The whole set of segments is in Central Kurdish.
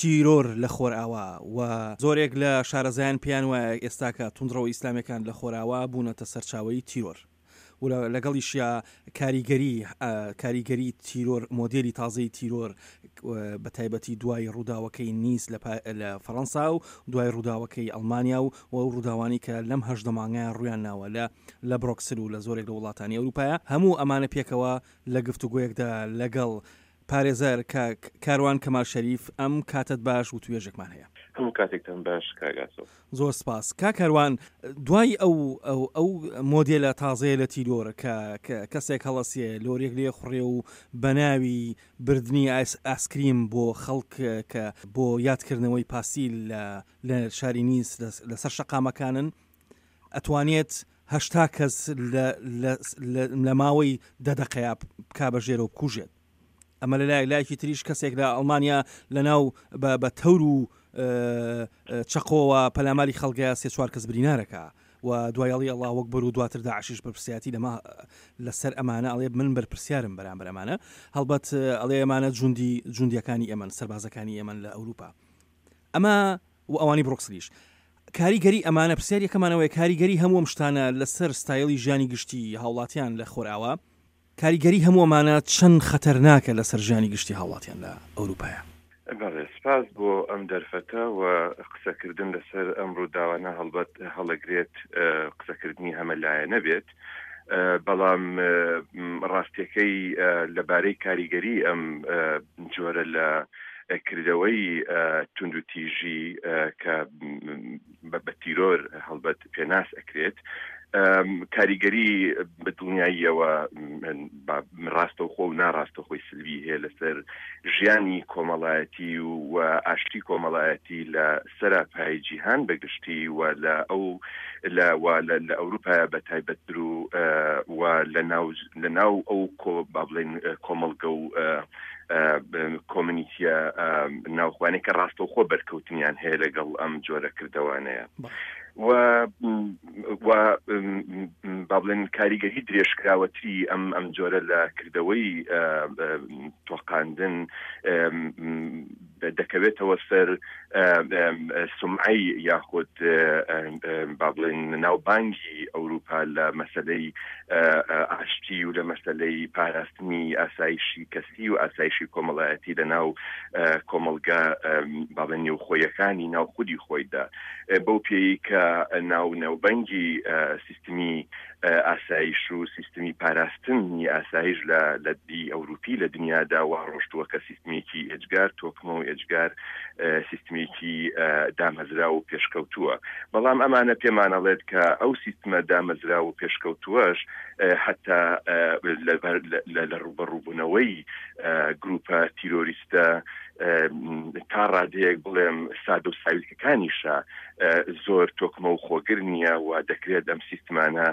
تیرۆر لە خۆرئاوا و زۆرێک لە شارەزایان پێیان وایە ئێستاکە توندڕەوە ئیسلامیەکان لە خۆرئاوا بوونەتە سەرچاوەی تیرۆر و لەگەڵیشیا کاریگەری کاریگەری تیرۆر مۆدێلی تازەی تیرۆر بە تایبەتی دوای ڕووداوەکەی نیس لە فەڕەنسا و دوای ڕووداوەکەی ئەڵمانیا و ئەو ڕووداوانەی کە لەم 18 مانگەیان ڕوویان ناوە لە لە برۆکسل و لە زۆرێک لە وڵاتانی ئەوروپایە هەموو ئەمانە پێکەوە لە گفتوگۆیەکدا لەگەڵ پارێزەر کاک کاروان کەمال شەریف ئەم کاتەت باش وتوێژێکمان هەیە. هەموو کاتێکتان باش کاک ئاسۆ. زۆر سپاس کاک کاروان دوای ئەو ئەو ئەو مۆدێلە تازەیە لە تیرۆر کە کە کەسێک هەڵەسێ لۆریەک لێ خوڕێ و بە ناوی بردنی ئایس ئاسکریم بۆ خەڵک کە بۆ یادکردنەوەی پاسیل لە لە شاری نیس لەسەر شەقامەکانن ئەتوانێت 80 کەس لە لە لە ماوەی دە دەقەیا بکا بە ژێرەوە بکوژێت ئەمە لە لایەک لایەکی تریش کەسێک لە ئەڵمانیا لە ناو بە بە تەور و چەقۆوە پەلاماری خەڵگەیە سێ چوار کەس برینارەکە و دوای ئەڵی ئەڵا وەک بەر و دواتر داعشیش بەرپرسیاتی لەمە لەسەر ئەمانە ئەڵێ من بەرپرسیارم بەرامبەر ئەمانە هەڵبەت ئەڵێ ئەمانە جوندی جوندیەکانی ئێمەن سەربازەکانی ئێمەن لە ئەوروپا ئەمە و ئەوانی بڕۆکسلیش کاریگەری ئەمانە پرسیار یەکەمانەوەی کاریگەری هەموو ئەم شتانە لەسەر ستایلی ژیانی گشتی هاوڵاتیان لە خۆراوا کاریگەری هەموو ئەمانە چەند خەتەرناکە لەسەر ژیانی گشتی هاوڵاتیان لە ئەوروپایە؟ بەڵێ، سپاس بۆ ئەم دەرفەتە و قسەکردن لەسەر ئەم ڕووداوانە هەڵبەت هەڵەگرێت قسەکردنی هەمەلایەنە بێت، بەڵام ڕاستیەکەی لەبارەی کاریگەری ئەم جۆرە لە کردەوەی توندوتیژی کە بە تیرۆر هەڵبەت پێناس ئەکرێت کاریگەری بە دڵنیاییەوە ڕاستەوخۆ و ناڕاستەخۆی سلبی هەیە لەسەر ژیانی کۆمەڵایەتی و ئاشتی کۆمەڵایەتی لە سەراپای جیهان بەگشتی و لە ئەو لە لە ئەوروپایە بە تایبەتتر و و لە ناو لە ناو ئەو کۆ با بڵێن کۆمەڵگە و کۆمنیتیە ناوخوانەی کە ڕاستەوخۆ بەرکەوتنیان هەیە لەگەڵ ئەم جۆرە کردەوانەیە و با بڵێن کاریگەری درێژکراوەتری ئەم ئەم جۆرە لە کردەوەی تۆقاندن دەکەوێتەوە سەر سومعەی یاخود با بڵێن ناوبانگی ئەوروپا لە مەسەلەی ئاشتی و لە مەسەلەی پاراستنی ئاسایشی کەسی و ئاسایشی کۆمەڵایەتی لە ناو کۆمەڵگە با بڵێن نێوخۆیەکانی ناو خودی خۆیدا بەو پێی کە ناو ناوبەنگی سیستمی ئاسایش و سیستمی پاراستنی ئاسایش لە لە دی ئەوروپی لە دنیادا وا ڕۆشتووە کە سیستمێکی ئێجگار تۆکمە و ئێجگار سیستمێکی دامەزراو و پێشکەوتووە بەڵام ئەمانە پێمان ئەڵێت کە ئەو سیستمە دامەزراو و پێشکەوتووەش حتا لە ڕووبەڕووبوونەوەی گروپە تیرۆریستە تا ڕادەیەک بڵێم سادە و ساویلکەکانیشە زۆر تۆکمە و خۆگر نییە و دەکرێت ئەم سیستمانە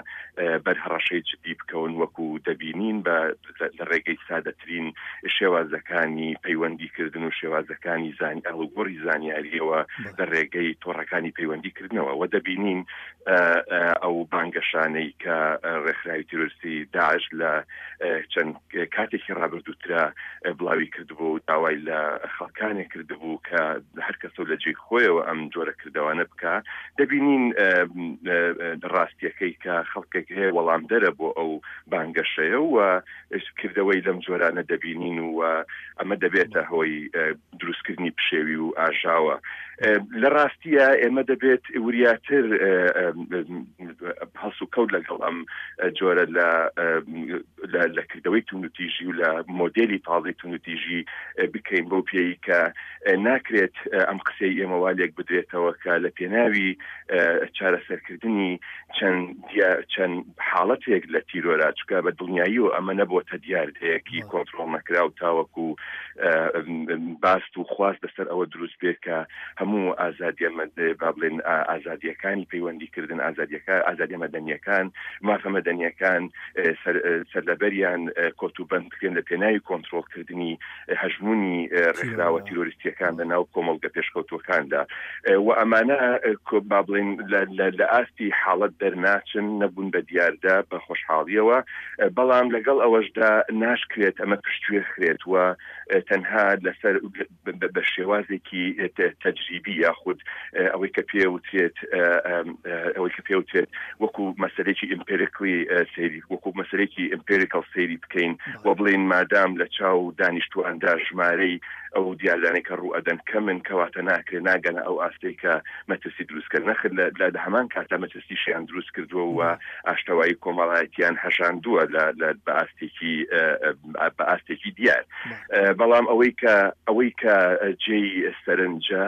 بەر هەڕەشەی جدی بکەون وەکو دەبینین بە لە ڕێگەی سادەترین شێوازەکانی پەیوەندیکردن و شێوازەکانی زان ئاڵوگۆڕی زانیاریەوە لە ڕێگەی تۆڕەکانی پەیوەندیکردنەوە و دەبینین ئەو بانگەشانەی کە ڕێکخراوی تیرۆریستی داعش لە چەند کاتێکی ڕابردووترا بڵاوی کردبوو و داوای لە خەڵکانێک کردبوو کە هەر کەسە و لە جێی خۆیەوە ئەم جۆرە کردەوانە بکا، دەبینین ڕاستییەکەی کە خەڵکێک هەیە وەڵامدەرە بۆ ئەو بانگەشەیە و کردەوەی لەم جۆرانە دەبینین و ئەمە دەبێتە هۆی دروستکردنی پشێوی و ئاژاوە. لە ڕاستیە ئێمە دەبێت وریاتر هەڵسوکەوت لەگەڵ ئەم جۆرە لە لە کردەوەی توندوتیژی و لە مۆدێلی تازەی توندوتیژی بکەین بەو پێی کە ناکرێت ئەم قسەی ئێمە وا لێک بدرێتەوە کە لە پێناوی چارەسەرکردنی چەند چەند حاڵەتێک لە تیرۆرا چکە بە دڵنیایی و ئەمە نەبووەتە دیاردەیەکی کۆنترۆڵ نەکراو تاوەکو باست و خواست لەسەر ئەوە دروست بێت کە هەموو ئازادیە با بڵێن ئازادیەکانی پەیوەندیکردن ئازادیەکە ئازادیە مەدەنیەکان مافە مەدەنیەکان سەر لە. سەرلەبەریان کۆتوبەند بکرێن لە پێناوی کۆنترۆڵکردنی هەژموونی ڕێکخراوە تیرۆریستییەکان لە ناو کۆمەڵگە پێشکەوتووەکاندا و ئەمانە با بڵێین لە ئاستی حاڵەت دەرناچن، نەبوون بە دیاردە بە خۆشحاڵییەوە، بەڵام لەگەڵ ئەوەشدا ناشکرێت ئەمە پشتگوێ خرێت و تەنها لەسەر بە شێوازێکی تەجریبی یاخود ئەوەی کە پێ وترێت ئەوەی کە پێ وترێت وەکو مەسەلێکی ئیمپێریکلی سەیری وەکو مەسەلێکی ئیمپێریکەڵ سەیری بکەین و بڵێین مادام لە چاو دانیشتواندا ژمارەی ئەو دیاردانەی کە ڕوو ئەدەن کەمن کەواتە ناکرێت ناگەنە ئەو ئاستەی کە مەترسی دروست کەن نەخر لە هەمان کاتا مەترسیشیان دروست کردووە و ئاشتەوایی کۆمەڵایەتیان هەژاندووە لە بە ئاستێکی بە ئاستێکی دیار بەڵام ئەوەی کە ئەوەی کە جێی سەرنجە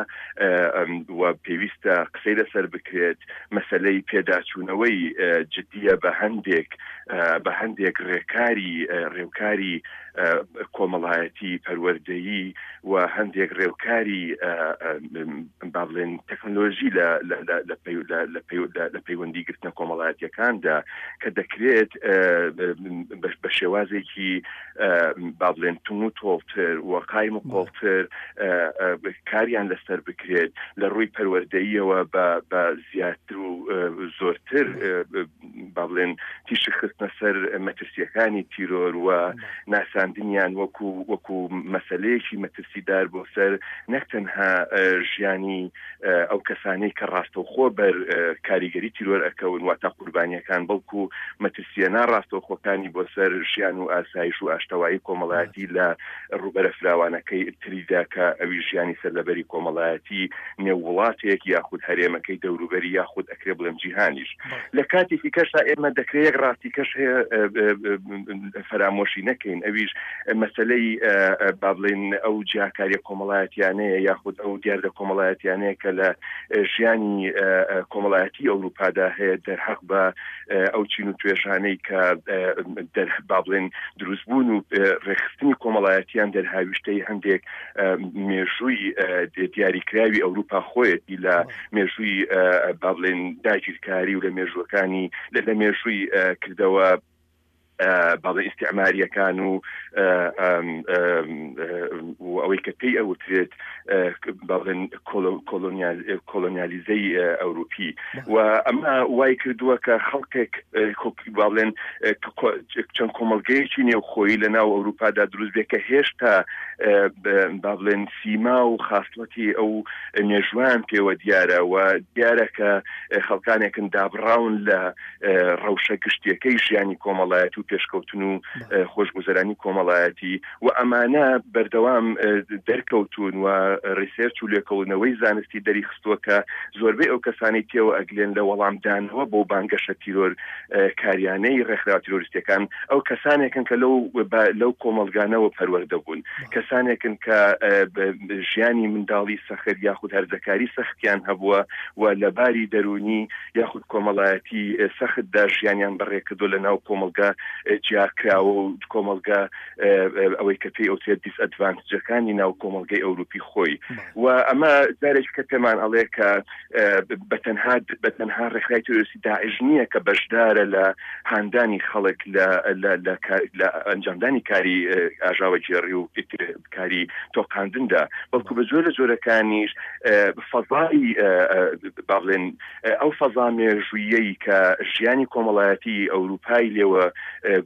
و پێویستە قسەی لەسەر بکرێت مەسەلەی پێداچوونەوەی جدییە بە هەندێک بە هەندێک ڕێکاری ڕێوکاری کۆمەڵایەتی پەروەردەیی و هەندێک ڕێوکاری با بڵێن تەکنەلۆژی لە لە پەیوەندی گرتنە کۆمەڵایەتیەکاندا کە دەکرێت بە شێوازێکی با بڵێن تون و تۆڵتر و قایم و قۆڵتر کاریان لەسەر بکرێت لە ڕووی پەروەردەییەوە بە زیاتر و زۆرتر با بڵێن تیشک خستنە سەر مەترسیەکانی تیرۆر و ناساندنیان وەکو وەکو مەسلەیەکی مەترسیدار بۆ سەر نەک تەنها ژیانی ئەو کەسانەی کە ڕاستەوخۆ بەر کاریگەری تیرۆر ئەکەون واتە قوربانیەکان بەڵکو مەترسیە ناڕاستەوخۆکانی بۆ سەر ژیان و ئاسایش و ئاشتەوایی کۆمەڵایەتی لە ڕووبەرە فراوانەکەی تریدا کە ئەویش ژیانی سەرلەبەری کۆمەڵایەتی نێو وڵاتێک یاخود هەرێمەکەی دەوروبەری یاخود ئەکرێ بڵێم جیهانیش. لە کاتێکی کەشدا ئێمە دەکرێ یەک ڕاستی کەش هەیە فەرامۆشی نەکەین ئەویش مەسەلەی با بڵێین ئەو جیاکاریە کۆمەڵایەتیانەیە یاخود ئەو دیاردە کۆمەڵایەتیانەیە کە لە ژیانی کۆمەڵایەتی ئەوروپادا هەیە دەرحەق بە ئەو چین و توێژانەی کە با بڵێن دروستبوون و ڕێکخستنی کۆمەڵایەتیان دەرهاویشتەی هەندێک مێژووی دیاریکراوی ئەوروپا خۆیەتی لە مێژووی با بڵێن داگیرکاری و لە مێژووەکانی لە مێژووی کردەوە باڵە ئیسیعماریەکان و ئەوەی کە پێی ئەوترێت باڵێن کۆلۆنیالیزەی ئەوروپی و ئەمە وای کردووە کە خەڵکێک باڵێن چەند کۆمەلگەیەکی نێوخۆیی لە ناو ئەوروپادا دروست بێت کە هێشتا با بڵێن سیما و خاسڵەتی ئەو مێژوان پێوە دیارە و دیارە کە خەڵکانێکن دابڕاون لە ڕەوشە گشتیەکەی ژیانی کۆمەڵایەتی و پێشکەوتن و خۆشگوزەرانی کۆمەڵایەتی و ئەمانە بەردەوام دەرکەوتوون و ڕیسێرچ و لێکۆڵینەوەی زانستی دەریخستووە کە زۆربەی ئەو کەسانەی تێوە ئەگلێن لە وەڵامدانەوە بۆ بانگەشە تیرۆر کاریانەی ڕێکخراوە تیرۆریستیەکان ئەو کەسانێکن کە لەو لەو کۆمەڵگانەوە پەروەردە بوون کەسانێکن کە ژیانی منداڵی سەخت یاخود هەرزەکاری سەختیان هەبووە و لە باری دەروونی یاخود کۆمەڵایەتی سەختدا ژیانیان بەڕێکردووە لە ناو کۆمەڵگە جیاکراوە و کۆمەڵگە ئەوەی کە پێی ئەوترێت دیسئەدڤانتجەکانی ناو کۆمەڵگەی ئەوروپی خۆی و ئەمە جارێکی کە پێمان ئەڵێ کە بە تەنها بە تەنها ڕێکخراوی تیرۆریستی داعش نییە کە بەشدارە لە هاندانی خەڵک لە لە ئەنجامدانی کاری ئاژاوەگێڕی و کاری تۆقاندندا بەڵکو بە جۆر لە جۆرەکانیش فەزای با بڵێن ئەو فەزا مێژوویەی کە ژیانی کۆمەڵایەتی ئەوروپای لێوە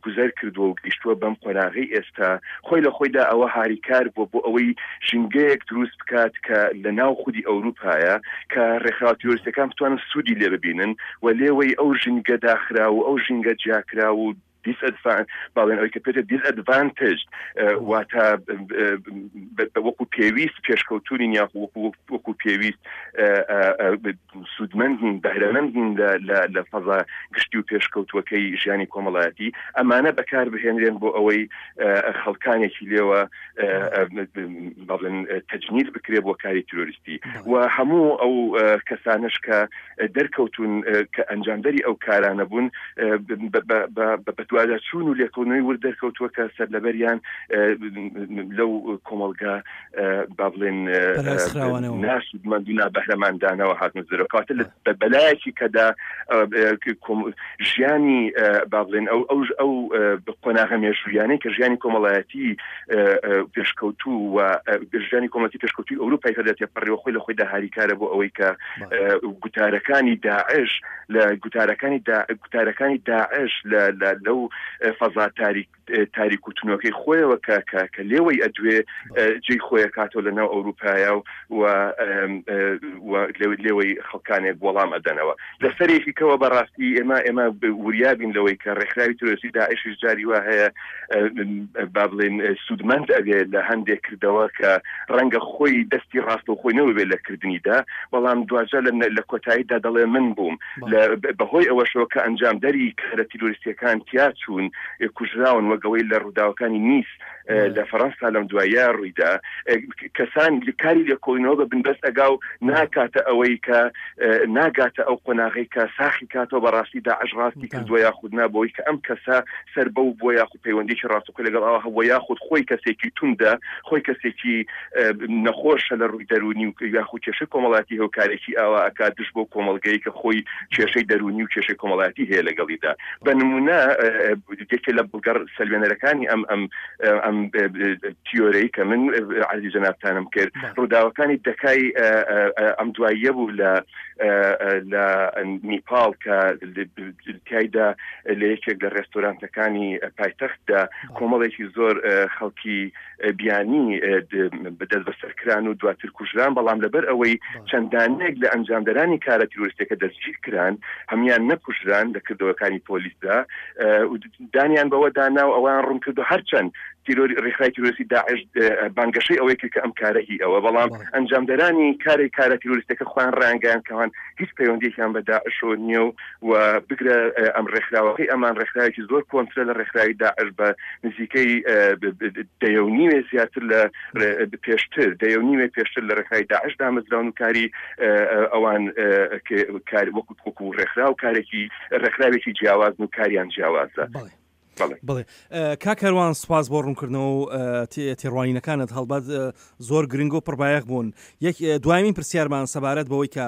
گوزەر کردووە و گەیشتووە بەم قۆناغەی ئێستا خۆی لە خۆیدا ئەوە هاریکار بووە بۆ ئەوەی ژینگەیەک دروست بکات کە لە ناو خودی ئەوروپایە کە ڕێکخراوە تیرۆریستیەکان بتوانن سوودی لێ ببینن و لێوەی ئەو ژینگە داخراو و ئەو ژینگە جیاکراو و دیسئەدڤان باڵێن ئەوەی کە پێتە دیسئەدڤانتج واتە وەکو پێویست پێشکەوتونین یاخو وەکو پێویست سوودمەند نین بەهرەمەند نین لە فەزا گشتی و پێشکەوتووەکەی ژیانی کۆمەڵایەتی ئەمانە بەکار بهێنرێن بۆ ئەوەی خەڵکانێکی لێوە بەڵێن تەجنید بکرێ بۆ کاری تیرۆریستی و هەموو ئەو کەسانش کە دەرکەوتون کە ئەنجامدەری ئەو کارانە بوون بە بەدواداچوون و لێکۆڵینەوەی ورد دەرکەوتووە کە سەرلەبەریان لەو کۆمەڵگە با بڵێن ناسودمەند و نابەهرەمەندانەوە هاتنە دەرەوە. کەواتە بە بەلایەکی کەدا ژیانی با بڵێن ئەو ئەو ئەو قۆناغە مێژوویانەی کە ژیانی کۆمەڵایەتی پێشکەوتوو و ژیانی کۆمەڵاتی پێشکەوتوی ئەوروپای پێدا تێپەڕیوە خۆی لە خۆیدا هاریکارە بۆ ئەوەی کە گوتارەکانی داعش لە گوتارەکانی گوتارەکانی داعش لە لەو فەزا تاریک تاریک و تونۆکەی خۆیەوە کە کە کە لێوەی ئەدوێ جێی خۆی ئەکاتەوە لە ناو ئەوروپایا و و لێوەی خەڵکانێک وەڵام ئەدەنەوە. لە سەرێکی کەوە بەڕاستی ئێمە ئێمە وریابین لەوەی کە ڕێکخراوی ترۆریستی داعشیش جاری وا هەیە با بڵێن سوودمەند ئەبێ لە هەندێک کردەوە کە ڕەنگە خۆی دەستی ڕاستەوخۆی نەبێت لە کردنیدا، بەڵام دواجار لە کۆتاییدا دەڵێ من بووم. بەهۆی ئەوەشەوە کە ئەنجامدەری کارە تیرۆریستییەکان تیا چوون کوژراون، وەک ئەوەی لە ڕووداوەکانی نیس لە فەرەنسا لەم دواییە ڕوویدا، کەسان کاری لێکۆڵینەوە بە بنبەست ئەگا و ناکاتە ئەوەی کە ناگاتە ئەو قۆناغەی کە ساخی کاتەوە بەڕاستی داعش ڕاستی کردووە یاخود نا، بەوەی کە ئەم کەسە سەر بەو بووە یاخود پەیوەندیی ڕاستەوخۆی لەگەڵ ئەوە هەبووە یاخود خۆی کەسێکی توندە، خۆی کەسێکی نەخۆشە لە ڕووی دەروونی و یاخود کێشەی کۆمەڵایەتی هەیە و کارێکی ئاوا ئەکات دژ بەو کۆمەڵگەی کە خۆی کێشەی دەروونی و کێشەی کۆمەڵایەتی هەیە لەگەڵیدا. بە نموونە یەکێ لە بەڵگە سەلمێنەرەکانی ئەم ئەم ئەم تیۆرەی کە من عەرزی جەنابتانم کرد ڕووداوەکانی دەکای ئەم دواییە بوو لە لە نیپاڵ کە تیایدا لە یەکێک لە ڕێستۆرانتەکانی پایتەختدا کۆمەڵێکی زۆر خەڵکی بیانی دەستبەسەر کران و دواتر کوژران، بەڵام لەبەر ئەوەی چەند دانەیەک لە ئەنجامدەرانی کارە تیرۆریستیەکە دەستگیر کران، هەموویان نەکوژران لە کردەوەکانی پۆلیسدا و دانیان بەوەدا نا و ئەوەیان ڕوون کردو هەرچەند تیرۆری ڕێکخراوی تیرۆریستی داعش بانگەشەی ئەوەی کرد کە ئەم کارە هی ئەوە، بەڵام ئەنجامدەرانی کاری کارە تیرۆریستیەکە خۆیان ڕایانگەیاند کە ئەوان هیچ پەیوەندیەکیان بە داعشەوە نییە و و بگرە ئەم ڕێکخراوەکەی ئەمان ڕێکخراوێکی زۆر کۆنترە لە ڕێکخراوی داعش بە نزیکەی دەیە و نیوێ زیاتر لە پێشتر دەیە و نیوێ پێشتر لە ڕێکخراوی داعش دامەزراون و کاری ئەوان کار وەکو وەکو ڕێکخراو کارێکی ڕێکخراوێکی جیاوازن و کاریان جیاوازە. بەڵێ کاک کاروان سوپاس بۆ ڕوونکردنەوە و تێڕوانینەکانت هەڵبەت زۆر گرنگ و پڕبایەخ بوون. یەک دوایین پرسیارمان سەبارەت بەوەی کە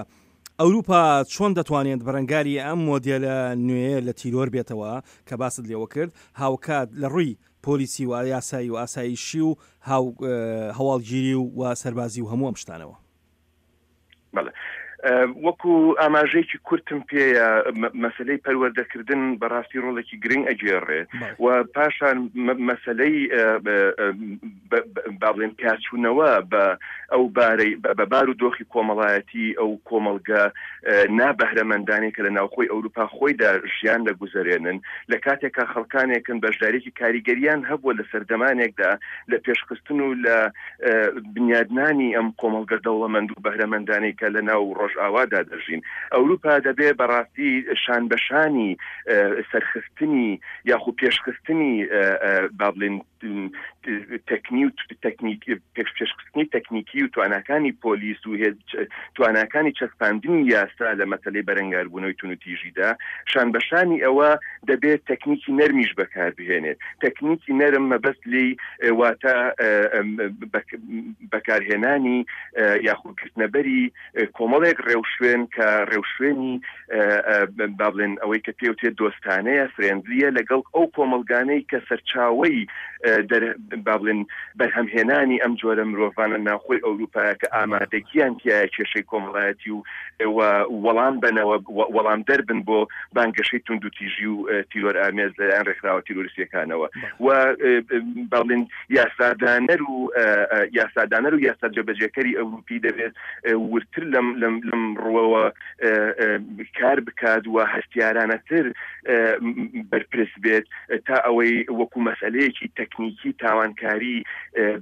ئەوروپا چۆن دەتوانێت بەرەنگاری ئەم مۆدێلە نوێیە لە تیرۆر بێتەوە کە باست لێوە کرد، هاوکات لە ڕووی پۆلیسی و یاسایی و ئاسایشی و هەواڵگیری و سەربازی و هەموو ئەم شتانەوە؟ بەڵێ وەکو ئاماژەیەکی کورتم پێیە مەسلەی پەروەردەکردن بەڕاستی ڕۆڵێکی گرنگ ئەگێڕێ و پاشان مەسلەی با بڵێن پیاچوونەوە بە ئەو بارەی بە بار و دۆخی کۆمەڵایەتی ئەو کۆمەڵگە نابەهرەمەندانەی کە لە ناوخۆی ئەوروپا خۆیدا ژیان دەگوزەرێنن لە کاتێکا خەڵکانێکن بەشداریی کاریگەریان هەبووە لە سەردەمانێکدا لە پێشخستن و لە بنیادنانی ئەم کۆمەڵگە دەوڵەمەند و بەهرەمەندانەی کە لە ناو ڕۆژئاوادا دەژین. ئەوروپا دەبێ بەڕاستی شانبەشانی سەرخستنی یاخو پێشخستنی با بڵێین تەکنی و تەکنیک پێشخستنی تەکنیکی و تواناکانی پۆلیس و تواناکانی چەسپاندنی یاسا لە مەسەلەی بەرەنگاربوونەوەی توندوتیژیدا، شانبەشانی ئەوە دەبێت تەکنیکی نەرمیش بەکاربهێنێت. تەکنیکی نەرم مەبەست لێی واتە بەکارهێنانی یاخود گرتنەبەری کۆمەڵێک ڕێوشوێن کە ڕێوشوێنی با بڵێن ئەوەی کە پێوتێت دۆستانەیە، فرێندلیە، لەگەڵ ئەو کۆمەڵگانەی کە سەرچاوەی با بڵێن بەرهەمهێنانی ئەم جۆرە مرۆڤانە ناوخۆی ئەوروپایە کە ئامادەگیان تیایە کێشەی کۆمەڵایەتی و وەڵام بەنەوە وەڵامدەر بن بۆ بانگەشەی توندوتیژی و تیرۆرئامێز لەلایەن ڕێکخراوە تیرۆریستیەکانەوە و با بڵێن یاسادانەر و یاسادانەر و یاسا جێبەجێکەری ئەوروپی دەبێت وردتر لەم لەم لەم ڕووەوە کار بکات و هەستیارانەتر بەرپرس بێت تا ئەوەی وەکو مەسئلەیەکی تەکنیکی تاوانکاری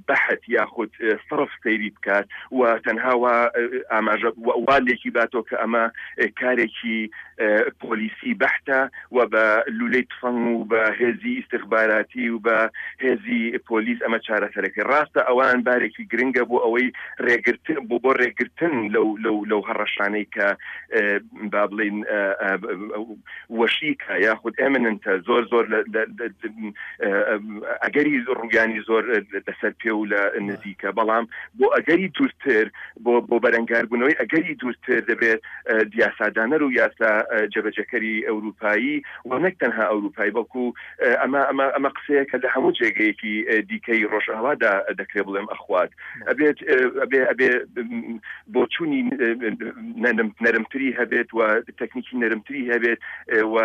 بەحت یاخود سڕف سەیری بکات و تەنها وا ئاماژە وا لێکی باتەوە کە ئەمە کارێکی پۆلیسی بەحتە و بە لولەی تفەنگ و بە هێزی ئیستخباراتی و بە هێزی پۆلیس ئەمە چارەسەرەکەی ڕاستە ئەوان بارێکی گرنگە بۆ ئەوەی ڕێگرتن بۆ بۆ ڕێگرتن لەو لەو لەو هەڕەشانەی کە با بڵین وەشیکە یاخود ئێمننتە زۆر زۆر ئەگەری ڕوویانی زۆر لەسەر پێ و لە نزیکە بەڵام بۆ ئەگەری دوورتر بۆ بۆ بەرەنگاربوونەوەی ئەگەری دوورتر دەبێت یاسادانەر و یاسا جێبەجێکەری ئەوروپایی و نەک تەنها ئەوروپایی بەڵکو ئەمە ئەمە ئەمە قسەیەکە لە هەموو جێگەیەکی دیکەی ڕۆژئاوادا دەکرێت بڵێم ئەخوات ئەبێت ئەبێ ئەبێ بۆچوونی نەرمتری هەبێت و تەکنیکی نەرمتری هەبێت و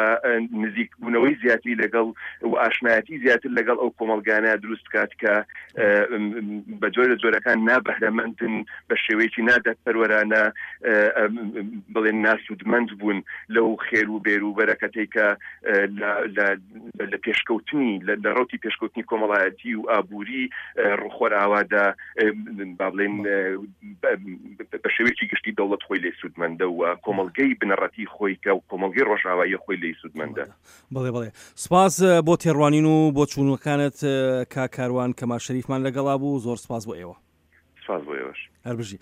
نزیکبوونەوەی زیاتری لەگەڵ و ئاشنایەتی زیاتر لەگەڵ ئەو کۆمەڵگانە دروست بکات کە بە جۆر لە جۆرەکان نابەهرەمەندن بە شێوەیەکی نادادپەروەرانە بڵێن ناسوودمەند بوون لەو خێر و بێر و بەرەکەتەی کە لە پێشکەوتنی لە ڕوتی پێشکەوتنی کۆمەڵایەتی و ئابووری ڕوخۆرئاوادا با بڵێن بە شێوەیەکی گشتی دەوڵەت خۆی لێ سوودمەندە و کۆمەڵگەی بنەڕەتی خۆی کە و کۆمەڵگەی ڕۆژئاواییە خۆی لێی سوودمەندە. بەڵێ بەڵێ سپاس بۆ تێڕوانین و بۆچوونەکانت کاک کاروان کەمال شەریفمان لەگەڵا بوو زۆر سپاس بۆ ئێوە. سپاس بۆ ئێوەش. هەر بژی.